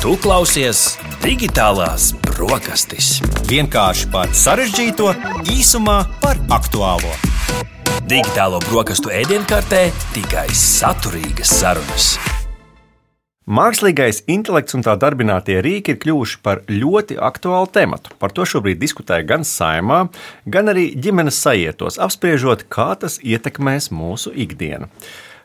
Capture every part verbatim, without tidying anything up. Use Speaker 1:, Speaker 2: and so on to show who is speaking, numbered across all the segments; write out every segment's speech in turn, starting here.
Speaker 1: Tu klausies Digitālās brokastis.
Speaker 2: Vienkārši par sarežģīto, īsumā par aktuālo.
Speaker 1: Digitālo brokastu ēdienkartē tikai saturīgas sarunas.
Speaker 3: Mākslīgais intelekts un tā darbinātie rīki ir kļuvuši par ļoti aktuālu tematu. Par to šobrīd diskutē gan Saeimā, gan arī ģimenes sajietos, apspriežot, kā tas ietekmēs mūsu ikdienu.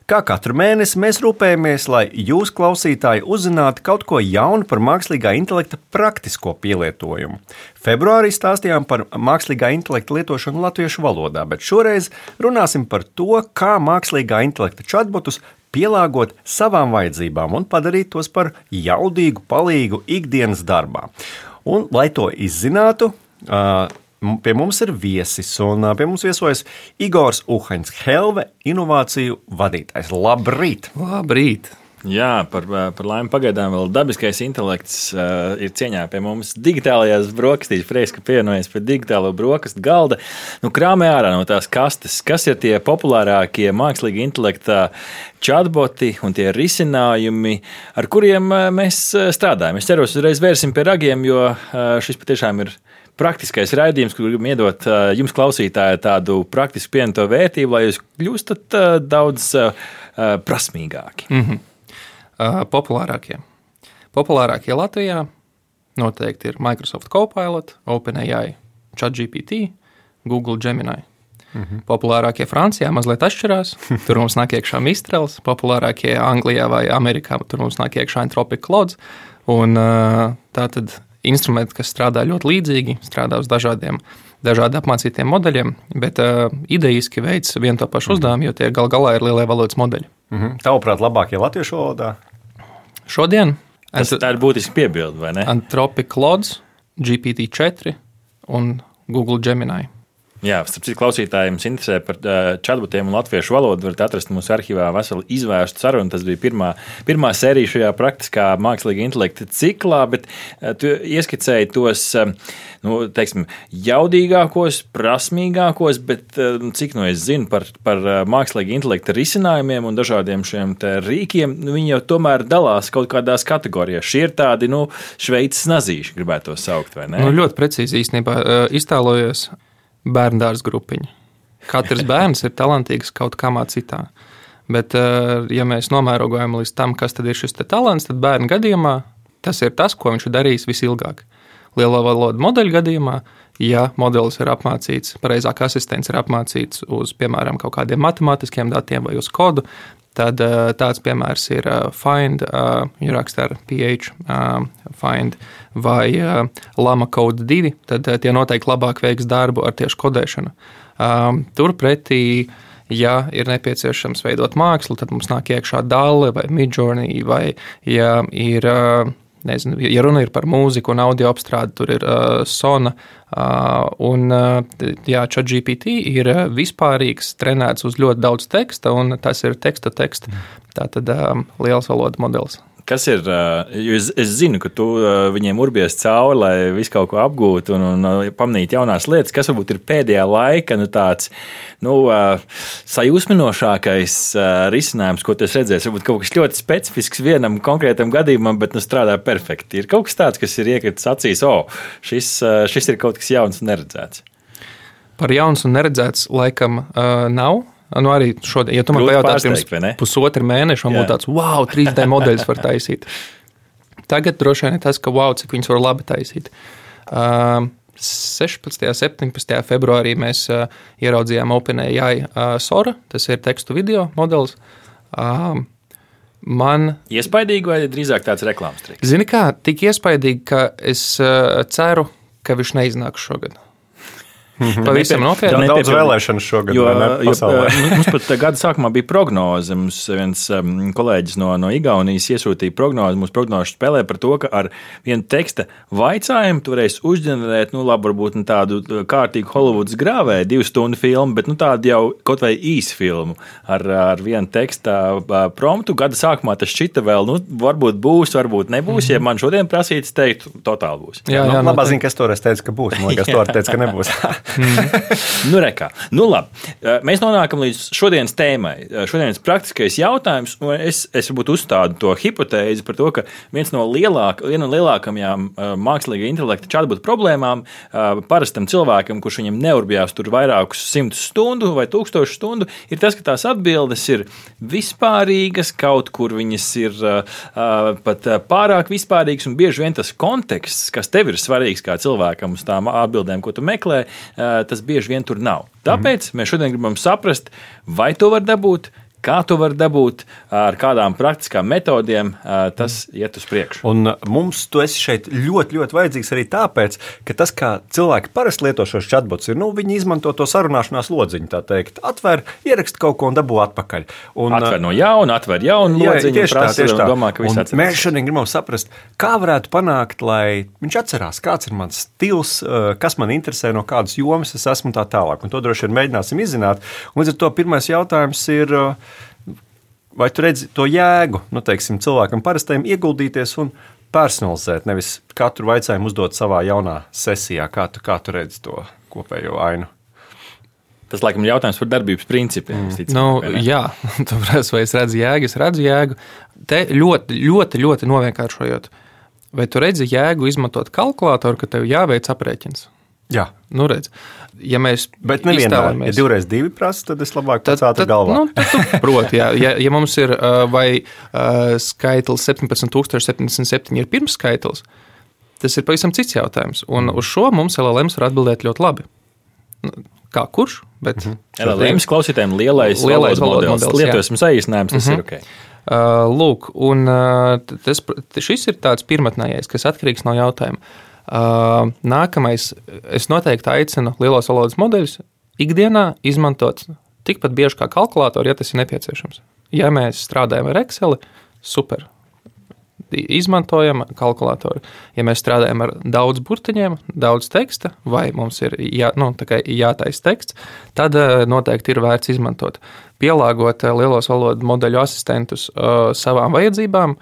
Speaker 3: Kā katru mēnesi mēs rūpējamies, lai jūs, klausītāji, uzzinātu kaut ko jaunu par mākslīgā intelekta praktisko pielietojumu. Februārī stāstījām par mākslīgā intelekta lietošanu latviešu valodā, bet šoreiz runāsim par to, kā mākslīgā intelekta chatbotus pielāgot savām vajadzībām un padarīt tos par jaudīgu palīgu ikdienas darbā. Un, lai to izzinātu, pie mums ir viesis, un pie mums viesojas Igors Uhaņs, Helve inovāciju vadītājs. Labrīt!
Speaker 4: Labrīt!
Speaker 5: Jā, par, par laimi pagaidām vēl dabiskais intelekts uh, ir cieņā pie mums digitālajās brokastīs. Prieks, ka pievienojies pie digitālo brokastu galda. Nu, krāmē ārā no tās kastes, kas ir tie populārākie mākslīgi intelekta chatboti un tie risinājumi, ar kuriem mēs strādājam. Es ceru, uzreiz vērsim pie ragiem, jo uh, šis patiešām ir praktiskais raidījums, kur gribam iedot uh, jums, klausītāji, tādu praktisku pievienoto vērtību, lai jūs kļūstat uh, daudz uh, prasmīgāki.
Speaker 4: Mm-hmm. Uh, populārākie. Populārākie Latvijā noteikti ir Microsoft Copilot, OpenAI, ChatGPT, Google Gemini. Mm-hmm. Populārākie Francijā mazliet atšķirās. Tur mums nāk iekšā Mistrals. Populārākie Anglijā vai Amerikā, tur mums nāk iekšā Anthropic Claude. Un uh, tā tad instrumenti, kas strādā ļoti līdzīgi, strādā uz dažādiem, dažādi apmācītiem modeļiem, bet uh, idejiski veids vienu to pašu uzdevumu, jo tie gal galā ir lielie valodas modeļi.
Speaker 3: Mm-hmm. Tavuprāt, labākie latviešu valodā?
Speaker 4: Šodien
Speaker 5: tas ant- tā ir būtiski piebildi, vai ne?
Speaker 4: Anthropic Claude, G P T četri un Google Gemini.
Speaker 5: Jā, starp citu, klausītājiem interesē par chatbotiem un latviešu valodu. Varat atrast mūsu arhīvā veselu izvērstu sarunu. Tas bija pirmā, pirmā sērija šajā praktiskā mākslīga intelekta ciklā, bet tu ieskicēji tos, nu, teiksim, jaudīgākos, prasmīgākos, bet cik no es zinu par, par mākslīga intelekta risinājumiem un dažādiem šiem te rīkiem, viņi jau tomēr dalās kaut kādās kategorijās. Šie ir tādi, nu, Šveices nazīši, gribētu to saukt, vai ne?
Speaker 4: Nu, ļoti precīzi īstenībā iztēlojos bērndārs grupiņa. Katrs bērns ir talantīgs kaut kāmā citā. Bet, ja mēs nomērogojam līdz tam, kas tad ir šis te talants, tad bērnu gadījumā tas ir tas, ko viņš ir darījis visilgāk. Lielo valodu modeļu gadījumā, ja modelis ir apmācīts, pareizāk asistents ir apmācīts uz, piemēram, kaut kādiem matemātiskiem datiem vai uz kodu, tad tāds piemērs ir Find, ja raksta ar P H, Find vai Llama Code divi, tad tie noteikti labāk veiks darbu ar tieši kodēšanu. Turpretī, ja ir nepieciešams veidot mākslu, tad mums nāk iekšā Dalle vai Midjourney, vai ja ir, nezinu, ja runa ir par mūziku un audio apstrādi, tur ir uh, Sona, uh, un uh, jā, ChatGPT ir vispārīgs, trenēts uz ļoti daudz teksta, un tas ir teksta-teksta, tātad um, liels valoda modelis.
Speaker 5: Kas ir, jo es, es zinu, ka tu viņiem urbies cauri, lai visu kaut ko apgūtu un, un pamanītu jaunās lietas, kas varbūt ir pēdējā laika nu, tāds nu, sajūsminošākais risinājums, ko tu esi redzējis. Varbūt kaut kas ļoti specifisks vienam konkrētam gadījumam, bet nu, strādā perfekti. Ir kaut kas tāds, kas ir iekritis acīs, o, šis, šis ir kaut kas jauns un neredzēts.
Speaker 4: Par jauns un neredzēts laikam uh, nav. Nu, arī šodien, ja tu man pajautās pirms pusotru mēnešu, man būtu tāds, wow, trīs D modeļus var taisīt. Tagad droši vien ir tas, ka wow, cik viņus var labi taisīt. Uh, sešpadsmitajā un septiņpadsmitajā februārī mēs uh, ieraudzījām OpenAI uh, Sora, tas ir tekstu video modelis. Uh, man...
Speaker 5: Iespaidīgi vai drīzāk tāds reklāmas triks?
Speaker 4: Zini kā, tik iespaidīgi, ka es uh, ceru, ka viņš neiznāks šogad. Pavisam nopietni.
Speaker 3: Daudz vēlēšanas šogad,
Speaker 5: jo,
Speaker 3: vai ne, pasaulē?
Speaker 5: Jo, mums pat gada sākumā bija prognoze. Mums viens um, kolēģis no, no Igaunijas iesūtīja prognozi. Mums prognoze spēlē par to, ka ar vienu teksta vaicājumu tu varēsi uzģenerēt, nu labi, varbūt nu, tādu kārtīgu Hollywoods grāvēju, divu stundu filmu, bet nu tādu jau kaut vai īsu filmu ar, ar vienu teksta promptu. Gada sākumā tas šķita vēl, nu varbūt būs, varbūt nebūs. Mm-hmm. Ja man šodien prasīts teikt, totāli būs.
Speaker 3: Jā, jā, nu, labā ziņa, kas toreiz teica, ka būs. Man liekas, toreiz teica, ka nebūs.
Speaker 5: Mm. nu, rekā. Nu, labi. Mēs nonākam līdz šodienas tēmai. Šodienas praktiskais jautājums, un es, es varbūt uzstādu to hipotēzi par to, ka viens no lielāk, viena no lielākajām mākslīgā intelekta chatbot problēmām parastam cilvēkam, kurš viņam neurbjās tur vairākus simtus stundu vai tūkstošu stundu, ir tas, ka tās atbildes ir vispārīgas, kaut kur viņas ir uh, pat pārāk vispārīgas, un bieži vien tas konteksts, kas tev ir svarīgs kā cilvēkam uz tām atbildēm, ko tu meklē, uh, tas bieži vien tur nav. Tāpēc mēs šodien gribam saprast, vai to var dabūt, kā to var dabūt, ar kādām praktiskām metodēm tas iet uz priekšu.
Speaker 3: Un mums tu esi šeit ļoti, ļoti vajadzīgs arī tāpēc, ka tas, kā cilvēki parasti lieto šos chatbots, ir, nu, viņi izmanto to sarunāšanās lodziņu, tā teikt, atver, ierakst kaut ko un dabū atpakaļ. Un,
Speaker 5: atver no jauna, atver jaunu lodziņu,
Speaker 3: tieši
Speaker 5: prasa,
Speaker 3: tā, tieši tā.
Speaker 5: Un domā, ka viss atcerās.
Speaker 3: Mēs šodien gribam saprast, kā varētu panākt, lai viņš atcerās, kāds ir mans stils, kas man interesē, no kādas jomas es esmu tā tālāk. Un to droši vien mēģināsim izzināt. Un līdz ar to pirmais jautājums ir, vai tu redzi to jēgu, nu, teiksim, cilvēkam parastajam ieguldīties un personalizēt, nevis katru jautājumu uzdot savā jaunā sesijā, kā tu, kā tu redzi to kopējo ainu?
Speaker 5: Tas, laikam, ir jautājums par darbības principiem. Mm. Ticam,
Speaker 4: nu, jā, tāpēc, vai es redzu jēgu, es redzu jēgu. Te ļoti, ļoti, ļoti novienkāršojot. Vai tu redzi jēgu izmantot kalkulātoru, ka tev jāveic aprēķins?
Speaker 3: Jā.
Speaker 4: Nu, redz, ja mēs
Speaker 3: Bet nevienmēr, ja divreiz divi prasa, tad es labāk pats ātri galvā.
Speaker 4: Nu, tad tu proti, jā. Ja, ja mums ir vai uh, skaitlis septiņpadsmit tūkstoši septiņdesmit septiņi ir pirmskaitlis, tas ir pavisam cits jautājums. Un uz šo mums L L Ms var atbildēt ļoti labi. Kā kurš? Bet
Speaker 5: mm-hmm. L L Ms klausītājiem lielais, lielais valodas modelis. Lietosim saīsinājums, tas mm-hmm. ir ok.
Speaker 4: Uh, lūk, un uh, tas, šis ir tāds pirmatnējais, kas atkarīgs no jautājuma. Uh, nākamais, es noteikti aicinu lielos valodas modeļus ikdienā izmantot tikpat bieži kā kalkulātoru, ja tas ir nepieciešams. Ja mēs strādājam ar Excel, super, izmantojam kalkulātoru. Ja mēs strādājam ar daudz burtiņiem, daudz teksta, vai mums ir jā, nu, jātais teksts, tad uh, noteikti ir vērts izmantot. Pielāgot uh, lielos valodas modeļu asistentus uh, savām vajadzībām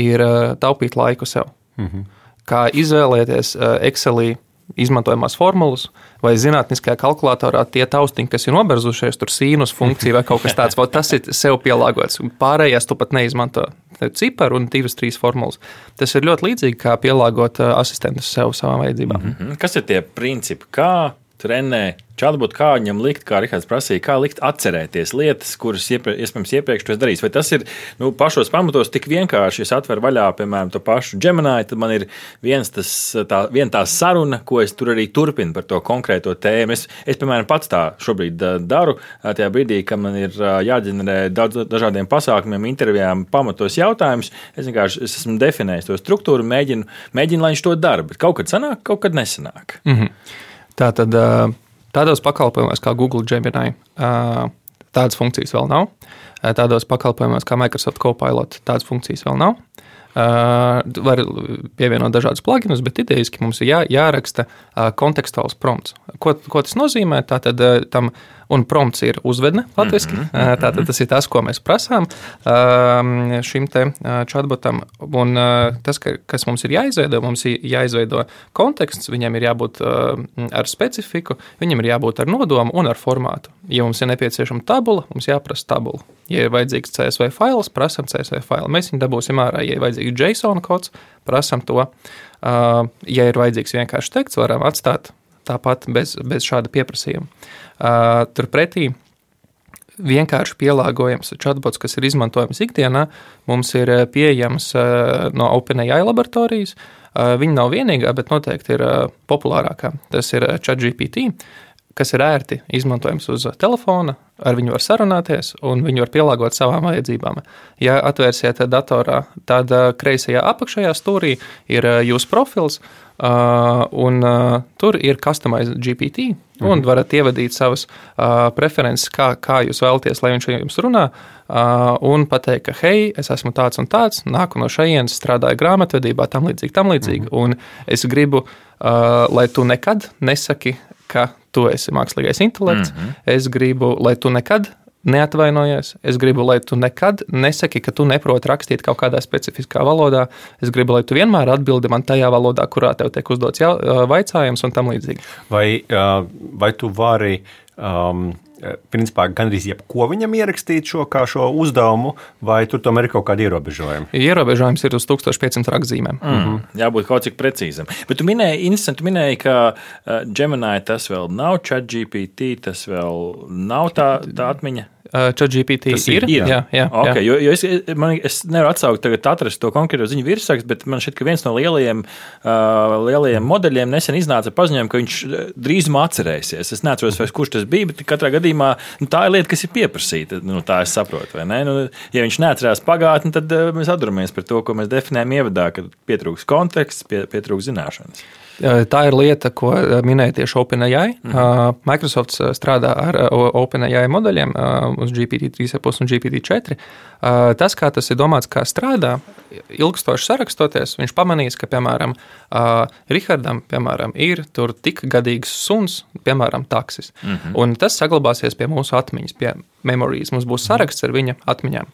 Speaker 4: ir uh, taupīt laiku sev. Mhm. Kā izvēlēties Excelī izmantojamās formulas vai zinātniskajā kalkulatorā tie taustiņi, kas ir noberzušies, tur sīnus funkcija vai kaut kas tāds, tas ir sev pielāgots. Pārējās tu pat neizmanto ciparu un divas, trīs formulas. Tas ir ļoti līdzīgi, kā pielāgot asistentus sev savām vajadzībām.
Speaker 5: Mm-hmm. Kas ir tie principi? Kā trenē chatbot, kā viņam likt, kā Rihards prasīja, kā likt atcerēties lietas, kuras iepre, iespējams iepriekš tu esi darījis. Vai tas ir nu, pašos pamatos tik vienkārši, es atveru vaļā, piemēram, to pašu Gemini, tad man ir viens tas, tā, vien tā saruna, ko es tur arī turpinu par to konkrēto tēmu. Es, es piemēram, pats tā šobrīd daru, tajā brīdī, kad man ir jāģenerē daudz dažādiem pasākumiem, intervijām, pamatos jautājumus. Es vienkārši es esmu definējis to struktūru, mēģinu, mēģinu, lai viņš to dara, bet kaut kad sanāk, kaut kad nesanāk.
Speaker 4: Mhm. Tātad tādos pakalpojumos kā Google Gemini tādas funkcijas vēl nav. Tādos pakalpojumos kā Microsoft Copilot tādas funkcijas vēl nav. Var pievienot dažādus pluginus, bet idejiski mums ir jā, jāraksta kontekstuāls prompts. Ko, ko tas nozīmē? Tātad tam, un prompts ir uzvedne latviski. Mm-hmm. Tātad tas ir tas, ko mēs prasām šim te chatbotam. Un tas, kas mums ir jāizveido, mums ir jāizveido konteksts, viņam ir jābūt ar specifiku, viņam ir jābūt ar nodomu un ar formātu. Ja mums ir nepieciešama tabula, mums jāprasa tabula. Ja ir vajadzīgs C S V fails, prasam C S V failu. Mēs viņu dabūsim ārā. Ja ir vajadzīgs JSON kods, prasam to. Ja ir vajadzīgs vienkārši teksts, varam atstāt tāpat bez, bez šāda pieprasījuma. Turpretī vienkārši pielāgojams chatbots, kas ir izmantojams ikdienā, mums ir pieejams no OpenAI laboratorijas. Viņa nav vienīgā, bet noteikti ir populārākā. Tas ir ChatGPT, kas ir ērti izmantojams uz telefona, ar viņu var sarunāties un viņu var pielāgot savām vajadzībām. Ja atvērsiet datorā, tad kreisajā apakšējā stūrī ir jūsu profils, un tur ir customized G P T, un varat ievadīt savas preferences, kā, kā jūs vēlaties, lai viņš jums runā, un pateikt, ka hei, es esmu tāds un tāds, nāku no šejienes, strādāju grāmatvedībā, tam līdzīgi, tam līdzīgi, un es gribu, lai tu nekad nesaki, ka tu esi mākslīgais intelekts, mm-hmm. es gribu, lai tu nekad neatvainojies. Es gribu, lai tu nekad nesaki, ka tu neproti rakstīt kaut kādā specifiskā valodā. Es gribu, lai tu vienmēr atbildi man tajā valodā, kurā tev tiek uzdots jau, vaicājums un tam līdzīgi.
Speaker 3: Vai, vai tu vari um, principā gandrīz jebko viņam ierakstīt šo, kā šo uzdevumu, vai tur tomēr ir kaut kādi ierobežojumi?
Speaker 4: Ierobežojums ir uz tūkstoš piecsimt rakstzīmēm.
Speaker 5: Mm. Mm. Jābūt kaut cik precīzam. Bet tu minēji, interesanti, tu minēji, ka uh, Gemini tas vēl nav, ChatGPT tas vēl nav tā, tā atmiņa.
Speaker 4: ChatGPT ir.
Speaker 5: ir.
Speaker 4: Jā, jā,
Speaker 5: okay,
Speaker 4: jā.
Speaker 5: Jo, jo es, man, es nevaru atsaukt, tagad atrast to konkrēto ziņu virsrakstu, bet man šķiet, ka viens no lielajiem, uh, lielajiem modeļiem nesen iznāca paziņojumu, ka viņš drīzumā atcerēsies. Es neatceros, vai kurš tas bija, bet katrā gadījumā nu, tā ir lieta, kas ir pieprasīta. Nu, tā es saprotu, vai ne? Nu, ja viņš neatcerās pagātni, tad uh, mēs atduramies par to, ko mēs definējam ievadā, kad pietrūks konteksts, pie, pietrūks zināšanas.
Speaker 4: Tā ir lieta, ko minēja tieši OpenAI. Mm-hmm. Microsoft strādā ar OpenAI modeļiem uz G P T trīs un G P T četri. Tas, kā tas ir domāts, kā strādā, ilgstoši sarakstoties, viņš pamanīs, ka, piemēram, Rihardam, piemēram, ir tur tik gadīgs suns, piemēram, taksis. Mm-hmm. Un tas saglabāsies pie mūsu atmiņas, pie memories. Mums būs saraksts ar viņa atmiņām.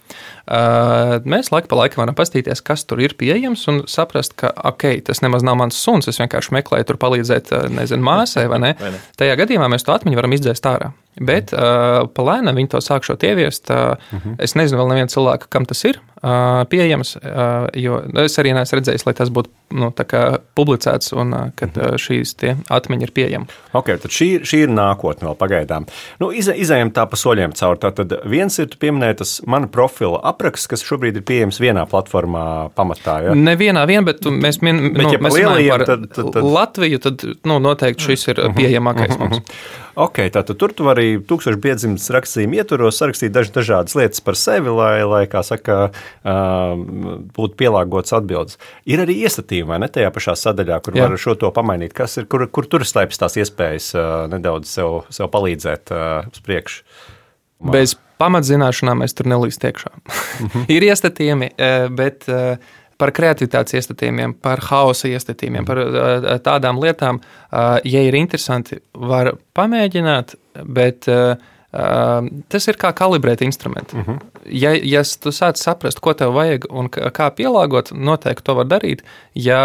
Speaker 4: Mēs laika pa laikam varam pastīties, kas tur ir pieejams un saprast, ka, ok, tas nemaz nav mans suns, es vienkārši meklēju tur palīdzēt, nezinu, māsai, vai ne? Vai ne? Tajā gadījumā mēs to atmiņu varam izdzēst ārā. Bet uh, palēnām viņi to sākšot ieviest. Uh, uh-huh. Es nezinu vēl nevienu cilvēku, kam tas ir uh, pieejams, uh, jo es arī neesmu redzējis, lai tas būtu nu, tā kā publicēts un uh, kad uh, šīs tie atmiņi ir pieejami.
Speaker 3: Ok, tad šī, šī ir nākotne vēl pagaidām. Nu, iz, izējam tā pa soļiem cauri. Tātad viens ir, tu pieminēji, tas mana profila apraksts, kas šobrīd ir pieejams vienā platformā pamatā. Ja?
Speaker 4: Ne vienā vien, bet mēs, min, bet, nu, ja mēs runājam par tad, tad, tad... Latviju, tad nu, noteikti šis ir pieejamākais mums.
Speaker 3: Ok, tātad tur tu vari tūkstoš piecsimt rakstījumu ietvaros sarakstīt daž, dažādas lietas par sevi, lai, lai kā saka, būtu pielāgotas atbildes. Ir arī iestatījumi, vai ne, tajā pašā sadaļā, kur Jā. Var šo to pamainīt. Kas ir, kur, kur tur slēpjas tās iespējas nedaudz sev, sev palīdzēt uz priekšu?
Speaker 4: Bez pamatzināšanām mēs tur nelīst iekšā. Ir iestatījumi, bet... Par kreativitātes iestatījumiem, par hausa iestatījumiem, par tādām lietām, ja ir interesanti, var pamēģināt, bet tas ir kā kalibrēt instrumentu. Uh-huh. Ja, ja tu sāc saprast, ko tev vajag un kā pielāgot, noteikti to var darīt. Ja,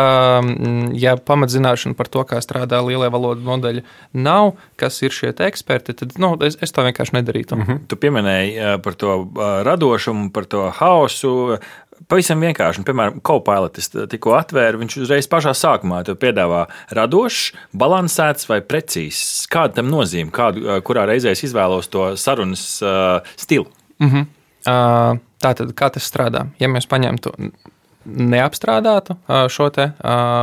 Speaker 4: ja pamatzināšana par to, kā strādā lielie valodu modeļi, nav, kas ir šie eksperti, tad nu, es, es to vienkārši nedarītu.
Speaker 5: Uh-huh. Tu pieminēji par to radošumu, par to hausu. Pavisam vienkārši, un, piemēram, Copilot tikko atvēra, viņš uzreiz pašā sākumā tev piedāvā radošs, balansēts vai precīzs. Kāda tam nozīme, kādu, kurā reizē es izvēlos to sarunas uh, stilu?
Speaker 4: Uh-huh. Uh, tātad, kā tas strādā? Ja mēs paņemtu neapstrādātu šo te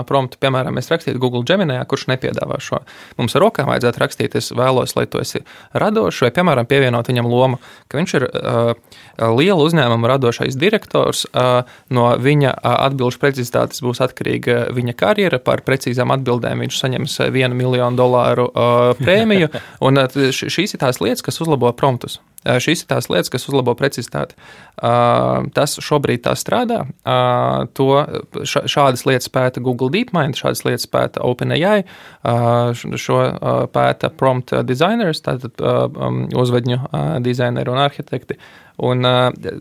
Speaker 4: promptu, piemēram, mēs rakstītu Google Gemini, kurš nepiedāvā šo. Mums ar rokām vajadzētu rakstīt, es vēlos, lai tu esi radošs, vai, piemēram, pievienot viņam lomu, ka viņš ir uh, liela uzņēmuma radošais direktors, uh, no viņa atbilžu precizitātes būs atkarīga viņa karjera, par precīzām atbildēm viņš saņems vienu miljonu dolāru uh, prēmiju, un uh, šīs ir tās lietas, kas uzlabo promptus. Šīs ir tās lietas, kas uzlabo precizitāti. Tas šobrīd tā strādā. To, šādas lietas pēta Google DeepMind, šādas lietas pēta OpenAI, šo pēta prompt designers, tātad uzvedņu dizaineri un arhitekti. Un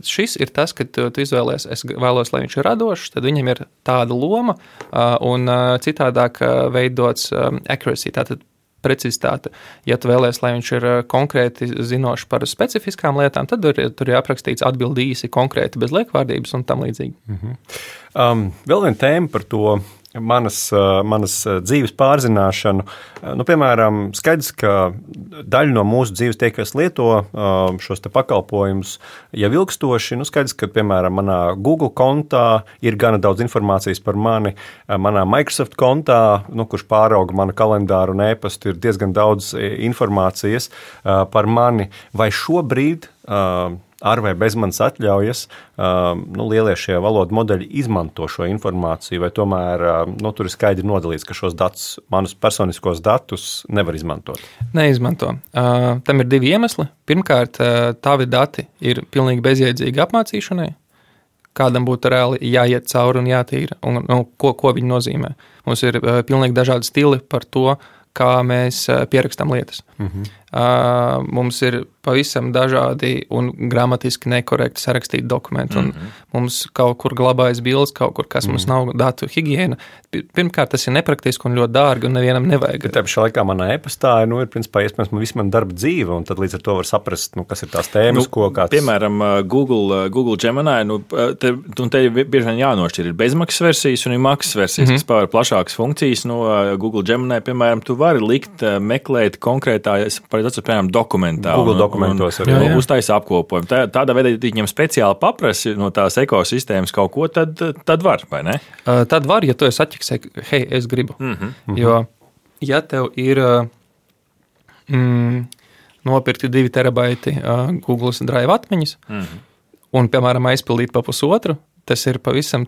Speaker 4: šis ir tas, kad tu izvēlies, es vēlos, lai viņš ir radošs, tad viņam ir tāda loma un citādāk veidots accuracy, tātad precizitāte. Ja tu vēlies, lai viņš ir konkrēti zinošs par specifiskām lietām, tad tur, tur ir aprakstīts atbildi īsi, konkrēti, bez liekvārdības un tam līdzīgi.
Speaker 3: Mm-hmm. Um, vēl viena tēma par to manas, manas dzīves pārzināšanu. Nu, piemēram, skaidrs, ka daļa no mūsu dzīves tie, kas lieto šos te pakalpojumus, jau ilgstoši, nu, skaidrs, ka, piemēram, manā Google kontā ir gana daudz informācijas par mani, manā Microsoft kontā, nu, kurš pārauga manu kalendāru un e-pastu, ir diezgan daudz informācijas par mani. Vai šobrīd ar vai bez manas atļaujas, nu, lielie šie valodu modeļi izmanto šo informāciju, vai tomēr nu, tur ir skaidri nodalīts, ka šos datus, manus personiskos datus nevar izmantot?
Speaker 4: Neizmanto. Uh, tam ir divi iemesli. Pirmkārt, uh, tavi dati ir pilnīgi bezjēdzīgi apmācīšanai. Kādam būtu reāli jāiet cauri un jātīra, un nu, ko, ko viņi nozīmē. Mums ir uh, pilnīgi dažādi stili par to, kā mēs pierakstām lietas. Mm-hmm. Uh, mums ir pavisam dažādi un gramatiski nekorekti sarakstīti dokumenti. Un mm-hmm. mums kaut kur glabājas bildes, kaut kur, kas mm-hmm. mums nav datu higiēna. Pirmkārt, tas ir nepraktiski un ļoti dārgi, un nevienam nevajag.
Speaker 3: Bet tā laikā manā e-pastā nu, ir principā iespējams man visu man darba dzīve, un tad līdz ar to var saprast, nu, kas ir tās tēmas, nu, ko kāds...
Speaker 5: Piemēram, Google, Google Gemini, nu, te, te bieži vien jānošķir, ir bezmaksas versijas un ir maksas versijas, mm-hmm. kas paver plašākas funkcijas. Nu, Google Gemini, piemēram, tu vari likt, meklēt konkrētā, Tas ir, piemēram, dokumentā.
Speaker 3: Google un, dokumentos
Speaker 5: arī. Un, un uztaisa apkopojumu. Tā, tādā veidā, ja viņam speciāli paprasi no tās ekosistēmas kaut ko, tad, tad var, vai ne?
Speaker 4: Uh, tad var, ja tu esi atķiksē, hei, es gribu. Mm-hmm. Jo, ja tev ir mm, nopirkti divi terabaiti uh, Google Drive atmiņas, mm-hmm. un, piemēram, aizpildīt pa pusotru, tas ir pavisam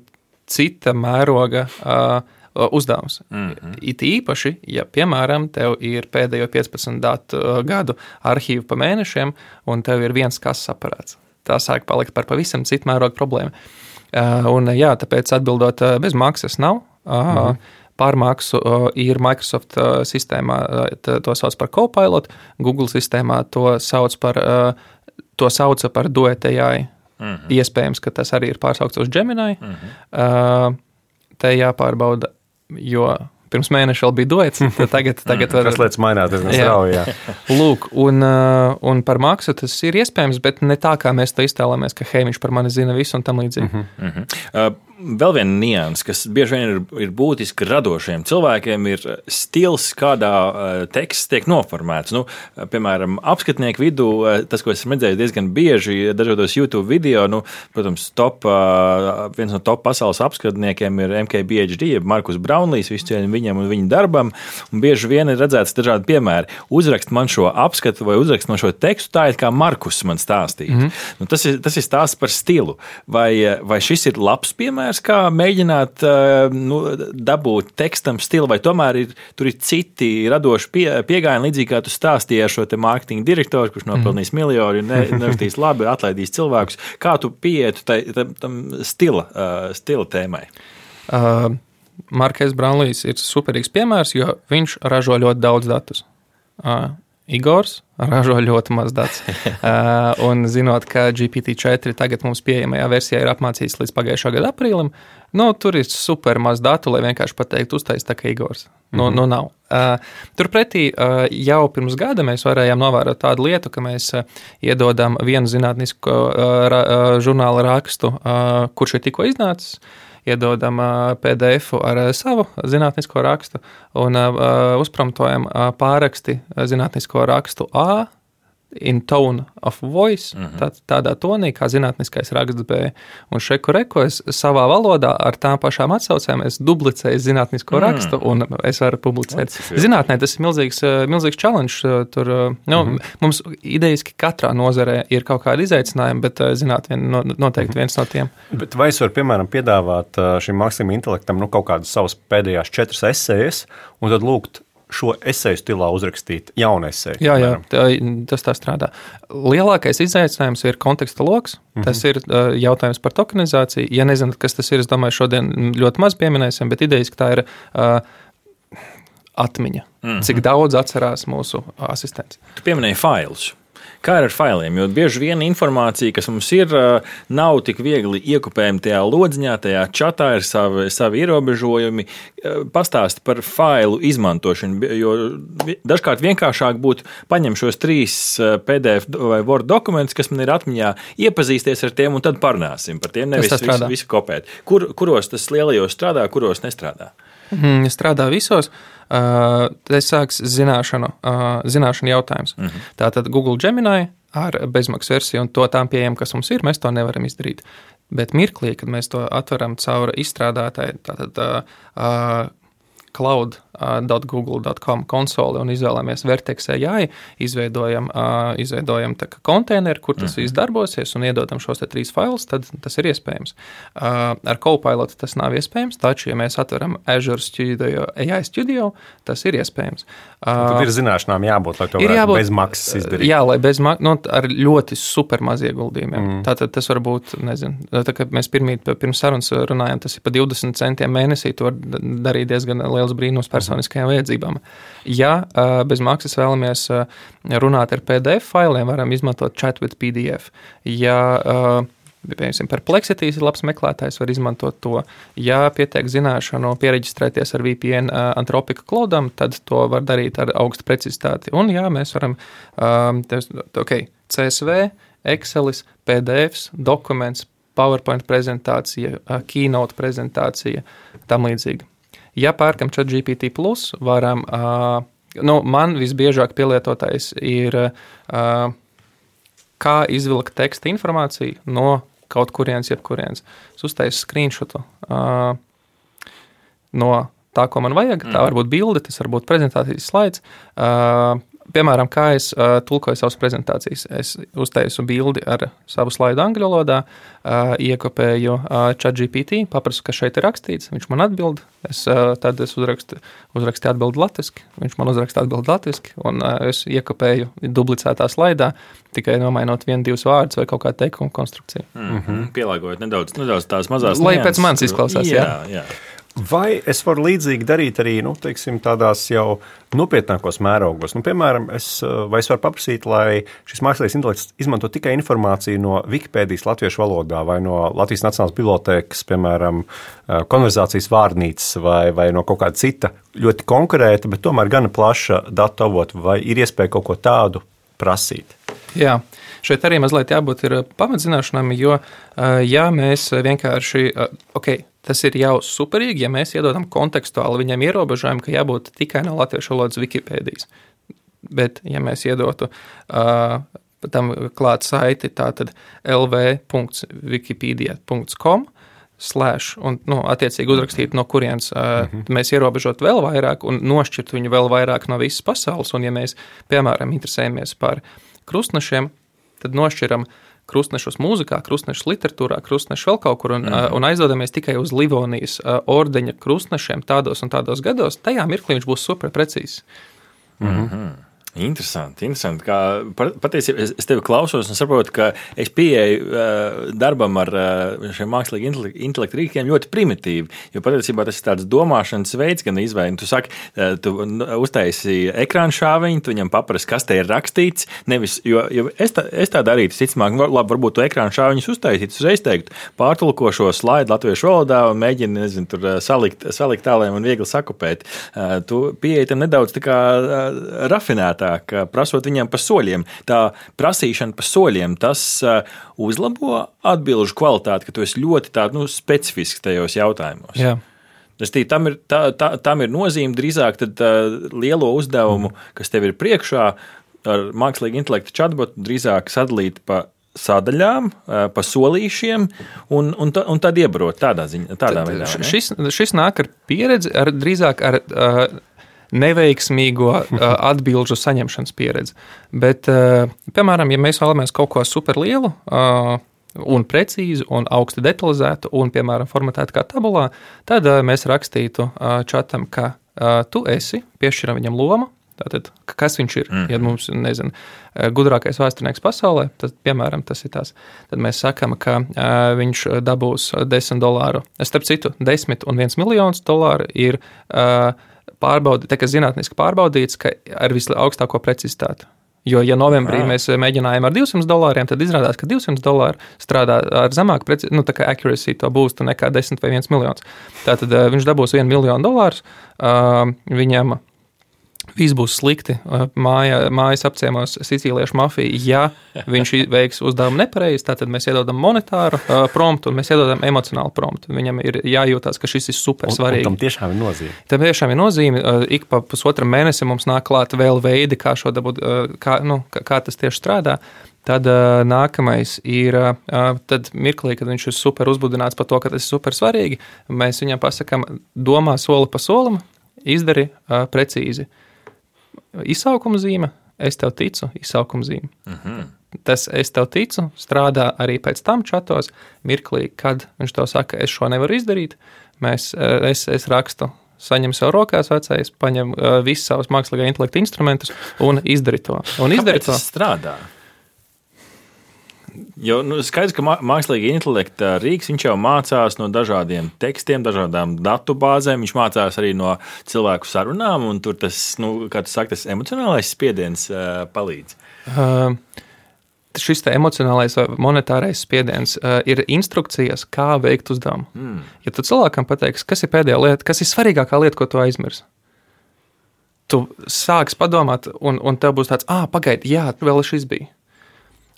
Speaker 4: cita mēroga uh, uzdevums. Mm-hmm. It īpaši, ja, piemēram, tev ir pēdējo piecpadsmit datu gadu arhīvu pa mēnešiem, un tev ir viens kases aparāts. Tā sāk palikt par pavisam citu mērogu problēmu. Un, jā, tāpēc atbildot, bez maksas nav. Mm-hmm. Pārmaksu ir Microsoft sistēmā, to sauc par Copilot, Google sistēmā to sauc par, to sauca par Duet A I. Mm-hmm. Iespējams, ka tas arī ir pārsaukts uz Gemini. Mm-hmm. Te jāpārbauda, jo pirms mēneša vēl bija duets, tagad, tagad var...
Speaker 3: Kas lietas mainās, diezgan strauji, jā.
Speaker 4: Lūk, un, un par maksu tas ir iespējams, bet ne tā, kā mēs to iztēlamies, ka hei, viņš par mani zina visu un tam līdzīgi.
Speaker 5: Mm-hmm. Mm-hmm. Uh, vēl viena nianses, kas bieži vien ir, ir būtiski radošiem cilvēkiem, ir stils, kādā uh, teksts tiek noformēts. Nu, uh, piemēram, apskatnieku vidū, uh, tas, ko esmu redzējis diezgan bieži dažādos YouTube video, nu, protams, top, uh, viens no top pasaules apskatniekiem ir M K B H D, Markus Braunlijs, visu cieņu viņam un viņa darbam, un bieži vien ir redzēts dažādi piemēri. Uzrakst man šo apskatu vai uzrakst man šo tekstu, tā ir kā Markus man stāstīja. Mm-hmm. Nu, tas ir, tas ir stāsts par stilu. Vai, vai šis ir labs piemērs, kā mēģināt nu, dabūt tekstam stilu, vai tomēr ir, tur ir citi radoši pie, piegājieni, līdzīgi kā tu stāstīji ar šo te mārketinga direktoru, kurš nopelnīs mm-hmm. miljonu, ne, nerakstīs labi, atlaidīs cilvēkus. Kā tu pieietu tai, tam, tam stila, uh, stila tēmai?
Speaker 4: Uh. Markēs Braunlijs ir superīgs piemērs, jo viņš ražo ļoti daudz datus. Uh, Igors ražo ļoti maz datus. Uh, un zinot, ka G P T četri tagad mums pieejamajā versijā ir apmācīts līdz pagājušā gada aprīlim, nu, tur ir super maz datu, lai vienkārši pateikt uztais tā kā Igors. Nu, mm-hmm. nu nav. Uh, turpretī uh, jau pirms gada mēs varējām novērot tādu lietu, ka mēs uh, iedodam vienu zinātnisko uh, ra, uh, žurnāla rakstu, uh, kurš ir tikko iznācis, iedodam P D F ar savu zinātnisko rakstu un uh, uzpromptojam uh, pārraksti zinātnisko rakstu A in tone of voice, mm-hmm. tā, tādā tonī, kā zinātniskais raksts B. Un šeku reku es savā valodā ar tām pašām atsaucēm es duplicēju zinātnisko mm. rakstu un es varu publicēt. Zinātnē tas ir milzīgs, milzīgs challenge. Tur, nu, mm-hmm. mums idejiski katrā nozarē ir kaut kādi izaicinājumi, bet zinātnē noteikti viens no tiem.
Speaker 3: Bet vai es varu, piemēram, piedāvāt šim mākslīgam intelektam nu, kaut kādas savas pēdējās četras esejas un tad lūgt šo eseju stilā uzrakstīt jaunu eseju?
Speaker 4: Jā, jā, tā, tas tā strādā. Lielākais izaicinājums ir konteksta loks. Mm-hmm. Tas ir uh, jautājums par tokenizāciju. Ja nezināt, kas tas ir, es domāju, šodien ļoti maz pieminēsim, bet idejiski tā ir uh, atmiņa. Mm-hmm. Cik daudz atcerās mūsu asistents.
Speaker 5: Tu pieminēji failus. Kā ir ar failiem? Jo bieži vien informācija, kas mums ir, nav tik viegli iekopējama tajā lodziņā, tajā čatā, ir savi, savi ierobežojumi. Pastāsti par failu izmantošanu, jo dažkārt vienkāršāk būtu paņemt šos trīs P D F vai Word dokumentus, kas man ir atmiņā, iepazīsties ar tiem un tad parunāsim par tiem, nevis visu, visu kopēt. Kur, kuros tas lielajos strādā, kuros nestrādā?
Speaker 4: Mm, strādā visos. Uh, tas sāks zināšanu, uh, zināšanu jautājums. Mm-hmm. Tātad Google Gemini ar bezmaksas versiju un to tām pieejam, kas mums ir, mēs to nevaram izdarīt. Bet mirklī, kad mēs to atveram caur izstrādātāju, tātad uh, uh, cloud dot google dot com konsoli un izvēlamies Vertex A I, izveidojam, uh, izveidojam tā kā konteineru, kur tas mm-hmm. viss darbosies un iedodam šos te trīs failus, tad tas ir iespējams. Uh, ar Copilot tas nav iespējams, taču, ja mēs atveram Azure Studio, A I Studio, tas ir iespējams.
Speaker 3: Uh, tad ir zināšanām jābūt, lai to varētu jābūt, bez maksas izdarīt.
Speaker 4: Jā, lai bez maksas, nu, ar ļoti super maz ieguldījumiem. Mm. Tātad tas var būt, nezinu, tā kā mēs pirmīt, pirms sarunas runājām, tas ir pa divdesmit centiem mēnesī, to var darīt diezgan liels brīnums personiskajām vajadzībām. Ja bez maksas vēlamies runāt ar P D F failiem, varam izmantot Chat with P D F. Ja piemēram, Perplexity ir labs meklētājs, var izmantot to. Ja pietiek zināšanu piereģistrēties ar V P N Anthropic Cloudam, tad to var darīt ar augstu precizitāti. Un jā, mēs varam, um, ok, C S V, Excelis, P D Fs, dokuments, PowerPoint prezentācija, Keynote prezentācija, tam līdzīgi. Ja pērkam ChatGPT plus, varam, uh, nu, man visbiežāk pielietotais ir, uh, kā izvilkt teksta informāciju no kaut kurienes, jebkurienes. Es uztaisu screenshotu uh, no tā, ko man vajag. Tā var būt bilde, tas var būt prezentācijas slaids. Uh, piemēram, kā es uh, tulkoju savas prezentācijas. Es uztaisu bildi ar savu slaidu angļu valodā, uh, iekopēju uh, ChatGPT, paprasu, kas šeit ir rakstīts, viņš man atbild. Es, uh, tad es uzrakstu, uzrakstu atbildi latviski, viņš man uzraksta atbildi latviski, un uh, es iekopēju dublicētā slaidā, tikai nomainot vienu, divus vārdus vai kaut kā teikumu konstrukciju.
Speaker 5: Mm-hmm. Pielāgojot nedaudz, nedaudz tās mazās
Speaker 4: Lai
Speaker 5: nianses,
Speaker 4: pēc manis izklausās, jā.
Speaker 5: jā. jā.
Speaker 3: Vai es varu līdzīgi darīt arī, nu, teiksim, tādās jau nopietnākos mērogos? Nu, piemēram, es, vai es varu paprasīt, lai šis mākslīgais intelekts izmanto tikai informāciju no Wikipēdijas latviešu valodā vai no Latvijas Nacionālās bibliotēkas, piemēram, konverzācijas vārnīcas vai, vai no kaut kāda cita ļoti konkrēta, bet tomēr gana plaša datu avotu, vai ir iespēja kaut ko tādu prasīt?
Speaker 4: Jā, šeit arī mazliet jābūt ir pamatzināšanām, jo, ja mēs vienkārši, ok, tas ir jau superīgi, ja mēs iedodam kontekstuāli viņam ierobežojumu, ka jābūt tikai no latviešu valodas Wikipēdijas. Bet, ja mēs iedotu uh, tam klāt saiti, tātad l v punkts wikipedia punkts com slash, un, nu, attiecīgi uzrakstīt, no kurienes uh, mm-hmm. mēs ierobežot vēl vairāk un nošķirt viņu vēl vairāk no visas pasaules. Un, ja mēs, piemēram, interesējamies par krustnešiem, tad nošķiram krustnešus mūzikā, krustnešus literatūrā, krustnešus vēl kaut kur un, mm. un aizdodamies tikai uz Livonijas ordeņa krustnešiem tādos un tādos gados, tajā mirklī viņš būs super precīzs.
Speaker 5: Mm-hmm. Interesanti, interesanti. Kā, patiesībā es, es tevi klausos un saprotu, ka es pieeju uh, darbam ar uh, šiem mākslīgi intelektu rīkiem ļoti primitīvi, jo patiesībā tas ir tāds domāšanas veids, gan izvēle. Tu saki, uh, tu uztaisi ekrānu šāviņu, tu viņam paprasti, kas te ir rakstīts, nevis, jo, jo es, tā, es tā darītu, ticamāk, labi, varbūt tu ekrānu šāviņus uztaisīt, uzreiz teiktu, pārtulko šo slaidu latviešu valodā un mēģini, nezinu, tur salikt, salikt tālēm un viegli sakupēt. Uh, tu pieeji tam nedaudz tā kā uh, rafinēt, prasot viņam pa soļiem. Tā prasīšana pa soļiem, tas uh, uzlabo atbilžu kvalitāti, ka tu esi ļoti tā, nu, specifisks tajos jautājumos.
Speaker 4: Jā.
Speaker 5: Tas tī, tam, ir, tā, tā, tam ir nozīme drīzāk tad, uh, lielo uzdevumu, kas tev ir priekšā, ar mākslīgu intelektu chatbotu drīzāk sadalīt pa sadaļām, pa solīšiem un, un, un tad iebrot tādā ziņā. Tādā
Speaker 4: tad,
Speaker 5: veidā,
Speaker 4: šis, šis nāk ar pieredzi, ar, drīzāk ar uh, neveiksmīgo uh, atbilžu saņemšanas pieredzi. Bet, uh, piemēram, ja mēs vēlamies kaut ko superlielu uh, un precīzu un augsti detalizētu un, piemēram, formatētu kā tabulā, tad uh, mēs rakstītu uh, čatam, ka uh, tu esi, piešķiram viņam lomu, tātad, kas viņš ir. Mm. Ja mums, nezinu, gudrākais vēsturnieks pasaulē, tad, piemēram, tas ir tās. Tad mēs sakam, ka uh, viņš dabūs desmit dolāru. Starp citu, desmit un viens miljonus dolāru ir uh, pārbaudi, tā kā zinātniski pārbaudīts, ka ar visaugstāko precizitāti. Jo, ja novembrī Jā. mēs mēģinājām ar divsimt dolāriem, tad izrādās, ka divsimt dolāri strādā ar zemāku precizitāti, nu, tā kā accuracy to boostu nekā desmit vai viens miljons. Tātad uh, viņš dabūs vienu miljonu dolārus, uh, viņam viss būs slikti. Māja, mājas apciemos sicīliešu mafiju. Ja viņš veiks uzdevumu nepareizi, tad mēs iedodam monetāru uh, promptu un mēs iedodam emocionālu promptu. Viņam ir jājūtās, ka šis ir super svarīgi.
Speaker 3: Un tam tiešām ir nozīme.
Speaker 4: Tam tiešām ir nozīme. Uh, ik pa pusotram mēnesi mums nāk klāt vēl veidi, kā, šo dabūt, uh, kā, nu, kā, kā tas tieši strādā. Tad uh, nākamais ir, uh, tad mirklī, kad viņš ir super uzbudināts par to, ka tas ir super svarīgi, mēs viņam pasakam, domā soli pa solim, izdari uh, precīzi. Izsaukuma zīme, es tev ticu, izsaukuma zīme. Uh-huh. Tas es tev ticu strādā arī pēc tam čatos, mirklī, kad viņš tev saka, es šo nevaru izdarīt, mēs, es, es rakstu, saņem sev rokās vecais, paņem uh, visus savus mākslīgā intelekta instrumentus un izdari to. Un izdari
Speaker 5: Kāpēc
Speaker 4: to.
Speaker 5: Tas strādā? Jo, nu, skaidrs, ka mākslīga intelekta rīks, viņš jau mācās no dažādiem tekstiem, dažādām datu bāzēm, viņš mācās arī no cilvēku sarunām, un tur tas, nu, kā tu saki, tas emocionālais spiediens uh, palīdz.
Speaker 4: Uh, šis te emocionālais vai monetārais spiediens uh, ir instrukcijas, kā veikt uzdevumu. Mm. Ja tu cilvēkam pateiksi, kas ir pēdējā lieta, kas ir svarīgākā lieta, ko tu aizmirsi, tu sāks padomāt, un, un tev būs tāds, ā, pagaidi, jā, vēl šis bija.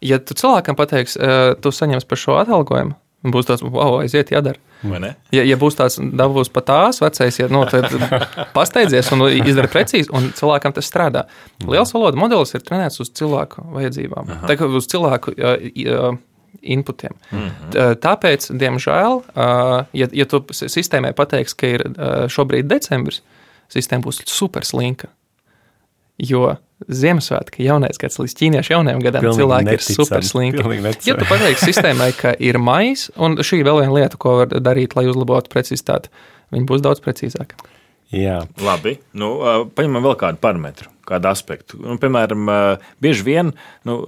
Speaker 4: Ja tu cilvēkam pateiksi, uh, tu saņems par šo atalgojumu, būs tāds, wow, aiziet, jādara.
Speaker 5: Vai ne?
Speaker 4: Ja, ja būs tāds dabūs pa tās vecais, ja, nu, tad pasteidzies un izdara precīzi, un cilvēkam tas strādā. Liels valoda modelis ir trenēts uz cilvēku vajadzībām, tā kā uz cilvēku uh, uh, inputiem. Mm-hmm. Tāpēc, diemžēl, uh, ja, ja tu sistēmai pateiksi, ka ir uh, šobrīd decembris, sistēma būs super slinka. Jo Ziemassvētki, jaunais gads līdz ķīniešu jaunajam gadam
Speaker 3: Pilnīgi
Speaker 4: cilvēki
Speaker 3: neticami.
Speaker 4: ir super slinki.
Speaker 3: Pilnīgi
Speaker 4: Ja tu pateiksi sistēmai, ka ir maijs, un šī vēl viena lieta, ko var darīt, lai uzlabotu precizitāti, viņi būs daudz precīzāki.
Speaker 3: Jā.
Speaker 5: Labi, nu, paņemam vēl kādu parametru, kādu aspektu. Nu, piemēram, bieži vien, nu,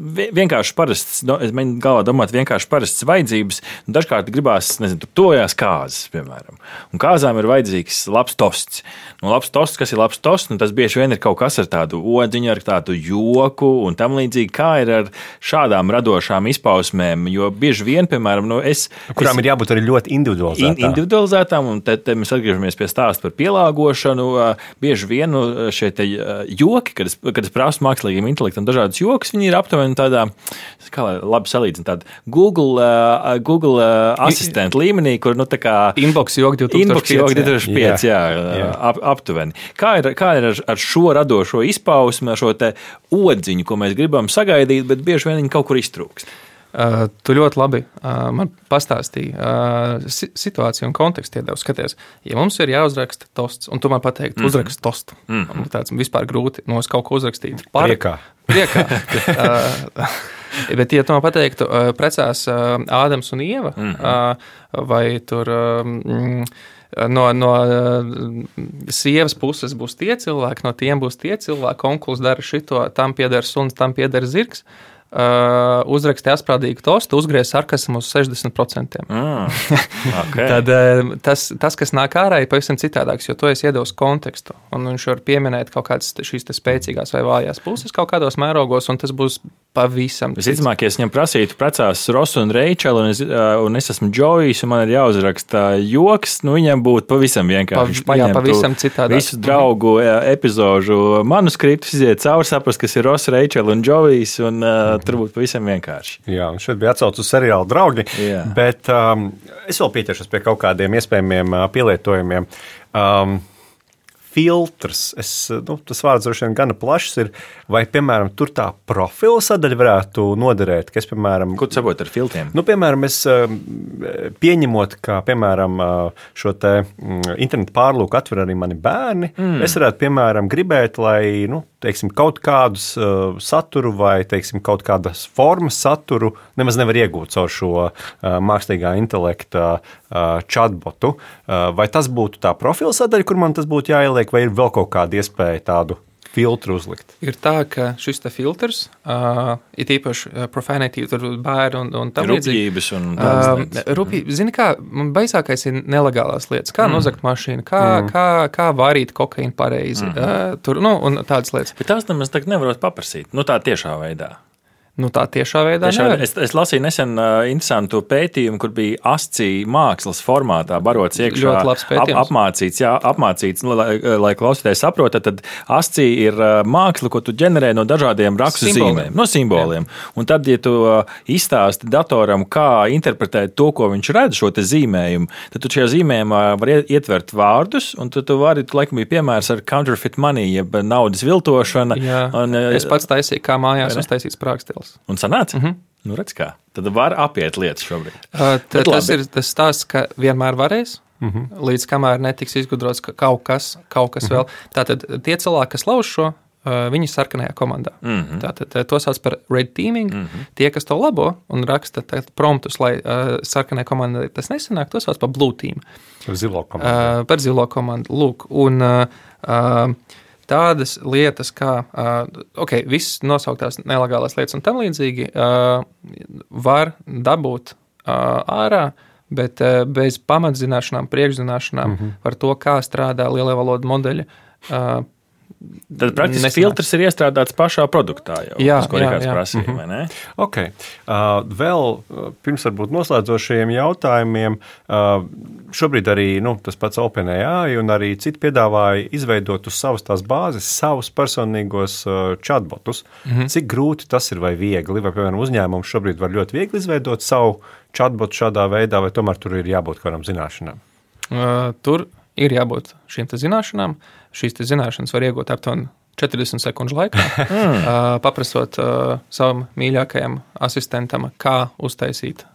Speaker 5: vienkārši parasts, es mēģinu galvā domāt, vienkārši parastas vajadzības, un dažkārt gribās, nezinu, tur tojās kāzas, piemēram. Un kāzām ir vajadzīgs labs tosts. Nu, labs tosts, kas ir labs tosts, nu, tas bieži vien ir kaut kas ar tādu odziņu, ar tādu joku un tam līdzīgi, kā ir ar šādām radošām izpausmēm, jo bieži vien, piemēram, nu, es...
Speaker 3: Kurām
Speaker 5: es,
Speaker 3: ir jābūt arī ļoti individualizētām.
Speaker 5: In, individualizētām, un te, te mēs atgriežamies pie stāsta par pielāgošanu. Bieži vien nu, šie te joki, kad es, kad es prasu mākslīgiem intelektam dažādas jokas, viņi ir aptuveni tādā, kā lai labi salīdzina, tāda Google, uh, Google uh, asistenta līmenī, kur, nu, tā kā...
Speaker 4: Inbox joki divtūkstoš pieci.
Speaker 5: Inbox joki divtūkstoš pieci, jā, jā, jā. Ap, aptuveni. Kā ir, kā ir ar, ar šo radošo izpausmi, ar šo te odziņu, ko mēs gribam sagaidīt, bet bieži vien viņi kaut kur iztrūkst?
Speaker 4: Uh, tu ļoti labi uh, man pastāstīji uh, situāciju un kontekstu iedevu. Skaties, ja mums ir jāuzraksta tosts, un tu man pateikti, mm -hmm. uzrakst tostu, mm -hmm. tāds vispār grūti, no es kaut ko uzrakstītu. Par...
Speaker 3: Priekā.
Speaker 4: Priekā. uh, bet, ja tu man pateiktu, uh, precās uh, Ādams un Ieva, mm -hmm. uh, vai tur... Uh, No, no uh, sievas puses būs tie cilvēki, no tiem būs tie cilvēki, onkulis dara šito, tam pieder suns, tam pieder zirgs. Uh, uzraksti asprādīgu tostu, uzgriez sarkasmu uz sešdesmit procentiem.
Speaker 5: Mm, okay.
Speaker 4: Tad uh, tas, tas, kas nāk ārā, ir pavisam citādāks, jo to es iedevu kontekstu. Un viņš var pieminēt kaut kādas šīs spēcīgās vai vājās puses kaut kādos mērogos, un tas būs pavisam cits.
Speaker 5: Visticamāk, ja es viņam prasītu precās Rosu un Reičelu, un es, un es esmu Džojs, un man ir jāuzraksta joks, nu viņam būtu pavisam vienkārši.
Speaker 4: Pa, jā, pavisam citādāk.
Speaker 5: Visu draugu epizožu manuskriptus, iziet cauri, saprast, kas ir Rosa, Reičela un Džojs, un uh, tur būtu pavisam vienkārši.
Speaker 3: Jā, un šeit bija atsauc uz seriālu Draugi,
Speaker 5: Jā.
Speaker 3: bet um, es vēl pieķeršos pie kaut kādiem iespējamiem uh, pielietojumiem. Um, filtrs, es, nu, tas vārds droši vien gana plašs ir, vai, piemēram, tur tā profila sadaļa varētu noderēt, kas, piemēram...
Speaker 5: Ko tu saproti ar filtriem?
Speaker 3: Nu, piemēram, es pieņemot, ka, piemēram, šo te internetu pārlūku atver arī mani bērni, mm. es varētu, piemēram, gribēt, lai, nu, teiksim, kaut kādus uh, saturu vai, teiksim, kaut kādas formas saturu nemaz nevar iegūt caur šo uh, mākslīgā intelekta uh, chatbotu. Uh, vai tas būtu tā profila sadaļa, kur man tas būtu jāieliek, vai ir vēl kaut kāda iespēja tādu filtru uzlikt?
Speaker 4: Ir tā, ka šis te filtrs, uh, ir īpaši uh, profanity, tur bērni un, un tam
Speaker 5: Rupjības un tādas lietas.
Speaker 4: Uh, rupjības, zini kā, man baisākais ir nelegālās lietas, kā mm. nozagt mašīnu, kā, mm. kā, kā vārīt kokaīnu pareizi, mm. uh, tur, nu, un tādas lietas.
Speaker 5: Bet tās nemaz tagad nevarot paprasīt, nu tā tiešā veidā.
Speaker 4: Nu, tā tiešā veidā
Speaker 5: tiešā veidā. Es, es lasīju nesen uh, interesantu pētījumu, kur bija ascī mākslas formātā barots iekšā.
Speaker 4: Ļoti labs pētījums.
Speaker 5: Ap, apmācīts, jā, apmācīts, nu, lai, lai klausītājs saprota, tad ascī ir uh, māksla, ko tu ģenerē no dažādiem rakstu zīmēm, no simboliem. Jā. Un tad, ja tu uh, izstāsti datoram, kā interpretēt to, ko viņš redz, šo te zīmējumu, tad tu šajā zīmējumā var ietvert vārdus, un tu, tu vari, tu laikam bija piemērs ar counterfeit money, jeb naudas viltošana.
Speaker 4: Jā, un, uh, es pats taisīju, kā mājās uztaisīts prākstils.
Speaker 5: Un sanāca?
Speaker 4: Mm -hmm.
Speaker 5: Nu, redz kā. Tad var apiet lietas šobrīd.
Speaker 4: Uh, t, tas ir tas stāsts, ka vienmēr varēs, mm -hmm. līdz kamēr netiks izgudrots kaut kas, kaut kas mm -hmm. vēl. Tātad tie cilvēki, kas lauž šo, uh, viņi ir sarkanajā komandā. Mm -hmm. Tātad to sauc par red teaming. Mm -hmm. Tie, kas to labo un raksta promptus, lai uh, sarkanajā komandā tas nesanāk, to sauc par blue team.
Speaker 3: Par zilo komandu.
Speaker 4: Uh, par zilo komandu. Lūk, un... Uh, uh, tādas lietas, kā uh, okay, visas nosauktās nelegālās lietas un tam līdzīgi uh, var dabūt uh, ārā, bet uh, bez pamatzināšanām, priekšzināšanām mm-hmm. par to, kā strādā lielie valodu modeļi. Uh,
Speaker 5: Tad praktiski Nesanāks. Filtrs ir iestrādāts pašā produktā jau,
Speaker 4: jā,
Speaker 5: tas, ko
Speaker 4: jā,
Speaker 5: Rikārds
Speaker 4: jā.
Speaker 5: prasīja,
Speaker 3: Mhm.
Speaker 5: vai ne?
Speaker 3: Ok. Uh, vēl pirms varbūt noslēdzošajiem jautājumiem, uh, šobrīd arī nu, tas pats OpenAI un arī citi piedāvāja izveidot uz savas tās bāzes savus personīgos uh, chatbotus. Mhm. Cik grūti tas ir vai viegli? Vai, piemēram, uzņēmums šobrīd var ļoti viegli izveidot savu chatbotu šādā veidā, vai tomēr tur ir jābūt kādam zināšanām?
Speaker 4: Uh, tur ir jābūt šīm te zināšanām. Šīs te zināšanas var iegūt aptuveni četrdesmit sekundžu laikā, mm. uh, paprasot uh, savam mīļākajam asistentam, kā uztaisīt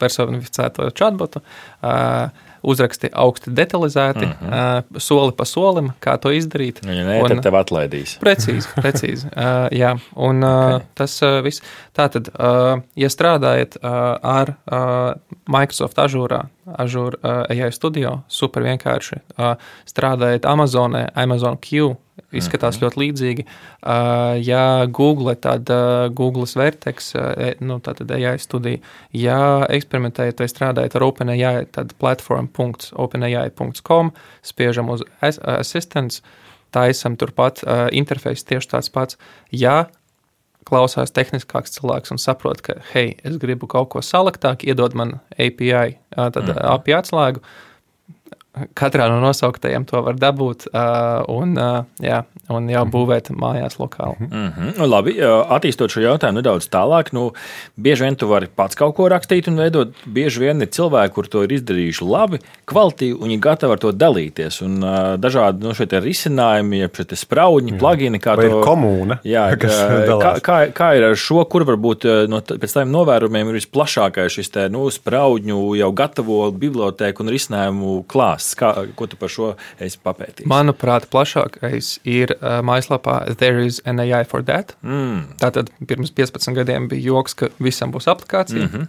Speaker 4: personificēto chatbotu, uh, uzraksti augsti detalizēti, mm-hmm. uh, soli pa solim, kā to izdarīt.
Speaker 5: Ja nē, tad tev atlaidīs.
Speaker 4: Precīzi, precīzi. Uh, jā, un uh, okay. tas uh, viss. Tātad, uh, ja strādājat uh, ar uh, Microsoft Azure, Azure uh, A I Studio, super vienkārši. Uh, strādājat Amazonē, Amazon Q, izskatās mm-hmm. ļoti līdzīgi. Uh, ja Google, tad uh, Google's Vertex, uh, nu, tātad A I studija. Ja eksperimentējat vai strādājat ar OpenAI, tad platform punkts openai punkts com, spiežam uz Assistants, taisam turpat uh, interfejs tieši tāds pats. Ja klausās tehniskāks cilvēks un saprot, ka, hei, es gribu kaut ko saliktāk, iedod man A P I, uh, tad mm-hmm. A P I atslēgu, katrā no nosauktajiem to var dabūt uh, un, uh, jā, un jau būvēt mājās lokāli.
Speaker 5: Mm-hmm. Labi, attīstot šo jautājumu nedaudz tālāk, nu, bieži vien tu vari pats kaut ko rakstīt un veidot, bieži vien ir cilvēki, kur to ir izdarījuši labi, kvalitīvi, un viņi gatavi ar to dalīties, un uh, dažādi no šeit risinājumi, ja šeit spraudņi, plugini, kā
Speaker 3: vai
Speaker 5: to...
Speaker 3: ir komūna,
Speaker 5: jā, kā, kā, kā ir ar šo, kur varbūt no, pēc tādiem novērumiem ir visplašākais šis te, nu, spraudņu jau gatavo bibliotēku un risinājumu klāsts. Kā, ko tu par šo esi papētījis?
Speaker 4: Manuprāt, plašākais ir uh, mājaslapā There is an A I for that. Mm. Tātad pirms piecpadsmit gadiem bija joks, ka visam būs aplikācija.
Speaker 5: Mm-hmm.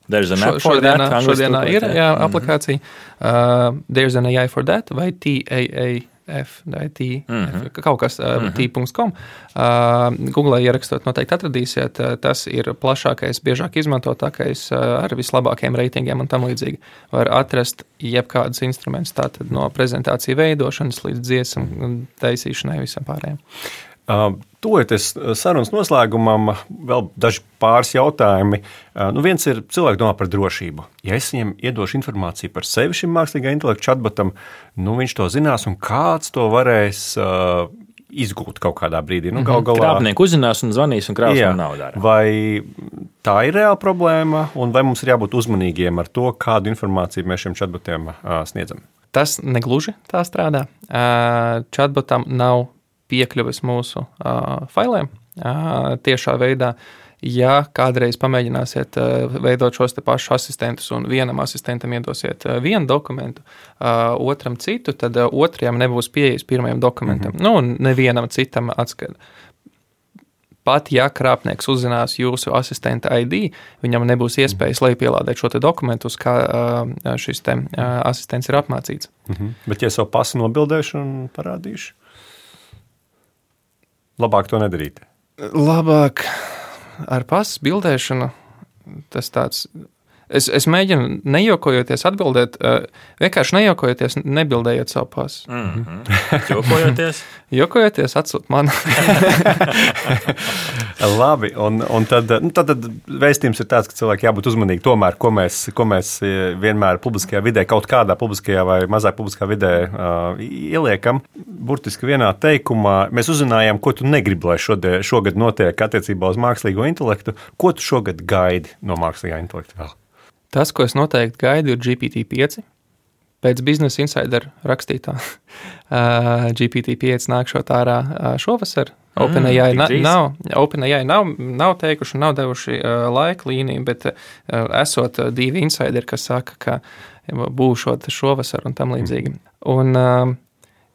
Speaker 5: There's an
Speaker 4: Šo,
Speaker 5: app for
Speaker 4: šodienā,
Speaker 5: that.
Speaker 4: Šodienā ir jā,
Speaker 5: mm-hmm.
Speaker 4: aplikācija. Uh, There's an A I for that vai T A A F vai T, mm-hmm. F, kaut kas uh, mm-hmm. t punkt com. Uh, Google ierakstot noteikti atradīsiet. Uh, tas ir plašākais, biežāk izmantotākais uh, ar vislabākajiem reitingiem un tam līdzīgi. Var atrast jebkādus instrumentus, tātad no prezentāciju veidošanas līdz dziesmu taisīšanai visam pārējiem.
Speaker 3: Uh, Tojoties sarunas noslēgumam, vēl daži pāris jautājumi. Uh, nu viens ir, cilvēki domā par drošību. Ja es viņam iedošu informāciju par sevi šim mākslīgā intelekta chatbotam, nu viņš to zinās un kāds to varēs uh, izgūt kaut kādā brīdī. Nu, gal galā...
Speaker 5: Krāpnieku uzzinās un zvanīs un krās man naudu dara.
Speaker 3: Vai tā ir reāla problēma un vai mums ir jābūt uzmanīgiem ar to, kādu informāciju mēs šiem chatbotiem uh, sniedzam?
Speaker 4: Tas negluži tā strādā. Uh, chatbotam nav piekļuves mūsu uh, failiem uh, tiešā veidā. Ja kādreiz pamēģināsiet uh, veidot šos te pašus asistentus un vienam asistentam iedosiet uh, vienu dokumentu, uh, otram citu, tad uh, otrajam nebūs pieejas pirmajam dokumentam. Mm-hmm. Nu, un nevienam citam atskait. Pat ja krāpnieks uzzinās jūsu asistenta I D, viņam nebūs iespējas lejupielādēt šo te dokumentu, uz kā uh, šis te uh, asistents ir apmācīts.
Speaker 3: Mm-hmm. Bet ja savu pasu nobildēšu un parādīšu? Labāk to nedarīt.
Speaker 4: Labāk ar pasu bildēšanu tas tāds... Es, es mēģinu nejokojoties atbildēt, vienkārši nejokojoties nebildējiet savu pasu.
Speaker 5: Mm-hmm. Jokojoties?
Speaker 4: Jokojoties atsūt man.
Speaker 3: Labi, un, un tad, nu, tad, tad vēstījums ir tāds, ka cilvēki jābūt uzmanīgi tomēr, ko mēs, ko mēs vienmēr publiskajā vidē, kaut kādā publiskajā vai mazāk publiskā vidē uh, ieliekam. Burtiski vienā teikumā mēs uzzinājām, ko tu negribi, lai šodien, šogad notiek attiecībā uz mākslīgo intelektu. Ko tu šogad gaidi no mākslīgā intelekta vēl?
Speaker 4: Tas, ko es noteikti gaidu, ir G P T pieci. Pēc Business Insider rakstītā uh, G P T pieci nākšot ārā uh, šovasar. Mm, OpenAI na, nav, OpenAI nav, nav teikuši, nav devuši uh, laika līniju, bet uh, esot uh, divi insideri, kas saka, ka būšot šovasar un tam līdzīgi. Un uh,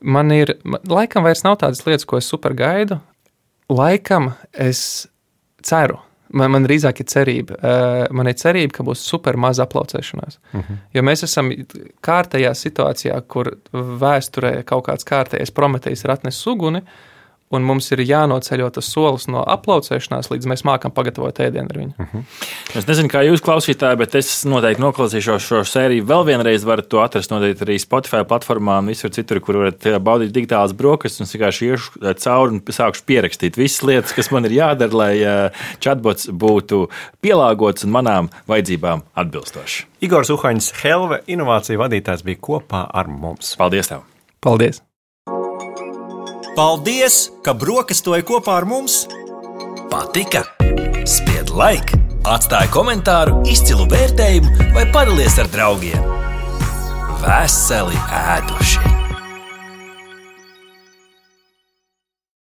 Speaker 4: man ir, laikam vairs nav tādas lietas, ko es super gaidu. Laikam es ceru. Man, man drīzāk ir cerība. Man ir cerība, ka būs super maza aplaucēšanās. Uh-huh. Jo mēs esam kārtējā situācijā, kur vēsturē kaut kāds kārtējais Prometejs ir atnesis uguni, un mums ir jānoceļo tas solis no aplaucēšanās, līdz mēs mākam pagatavot ēdienu ar viņu.
Speaker 3: Uh-huh.
Speaker 5: Es nezinu, kā jūs klausītāji, bet es noteikti noklausīšos šo sēriju vēl vienreiz. Varat to atrast noteikti arī Spotify platformā un visur citur, kur varat baudīt digitālas brokastis. Un es vienkārši iešu cauri un sākšu pierakstīt visas lietas, kas man ir jādara, lai chatbots būtu pielāgots un manām vajadzībām atbilstošs.
Speaker 3: Igors Uhaņs, Helve inovāciju vadītājs, bija kopā ar mums.
Speaker 5: Paldies tev!
Speaker 4: Paldies!
Speaker 2: Paldies, ka brokastoji kopā ar mums!
Speaker 1: Patika? Spied like, atstāj komentāru, izcilu vērtējumu vai padalies ar draugiem. Veseli ēduši!